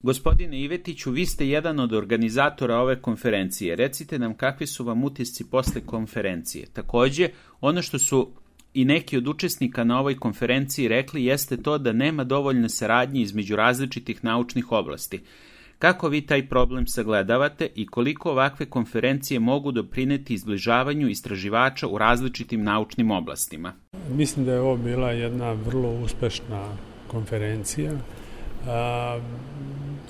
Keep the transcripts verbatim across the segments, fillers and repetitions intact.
Gospodine Ivetiću, vi ste jedan od organizatora ove konferencije. Recite nam kakvi su vam utisci posle konferencije. Takođe, ono što su i neki od učesnika na ovoj konferenciji rekli jeste to da nema dovoljne saradnje između različitih naučnih oblasti. Kako vi taj problem sagledavate i koliko ovakve konferencije mogu doprineti izbližavanju istraživača u različitim naučnim oblastima? Mislim da je ovo bila jedna vrlo uspešna konferencija. A,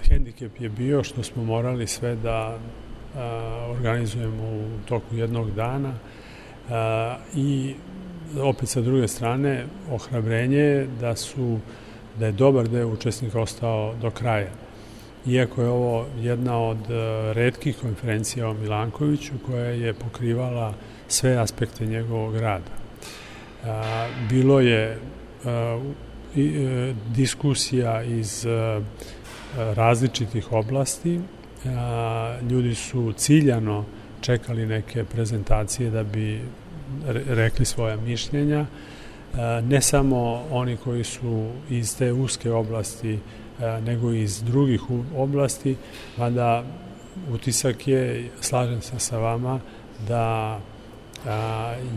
hendikep je bio što smo morali sve da a, organizujemo u toku jednog dana a, i opet sa druge strane ohrabrenje je da su da je dobar deo učesnika ostao do kraja. Iako je ovo jedna od retkih konferencija o Milankoviću koja je pokrivala sve aspekte njegovog rada. Bilo je diskusija iz različitih oblasti. Ljudi su ciljano čekali neke prezentacije da bi rekli svoja mišljenja. Ne samo oni koji su iz te uske oblasti, nego i iz drugih oblasti, mada utisak je, slažem se sa vama, da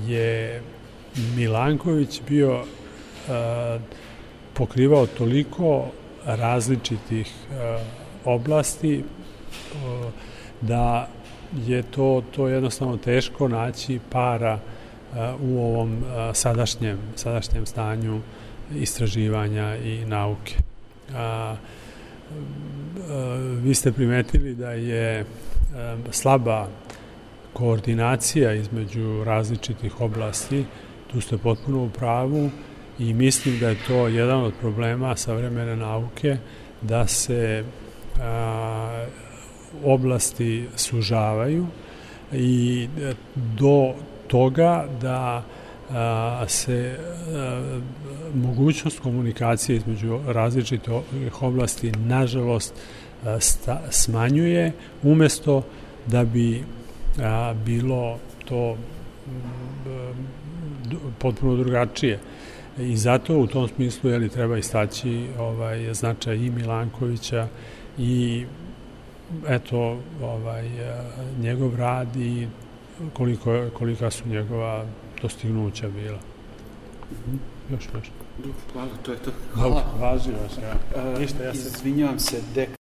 je Milanković bio pokrivao toliko različitih oblasti da je to, to jednostavno teško naći para u ovom sadašnjem, sadašnjem stanju istraživanja i nauke. A, a, vi ste primetili da je a, slaba koordinacija između različitih oblasti, tu ste potpuno u pravu i mislim da je to jedan od problema savremene nauke, da se a, oblasti sužavaju i do toga da a, se a, mogućnost komunikacije između različitih oblasti nažalost a, sta, smanjuje, umesto da bi a, bilo to a, potpuno drugačije. I zato u tom smislu je li treba istaći ovaj značaj i Milankovića i eto ovaj njegov rad i koliko kolika su njegova dostignuća bila. Još nešto. Hvala, to je to. Hvala. Važi vaš, ja. Ništa, ja se izvinjavam se, dek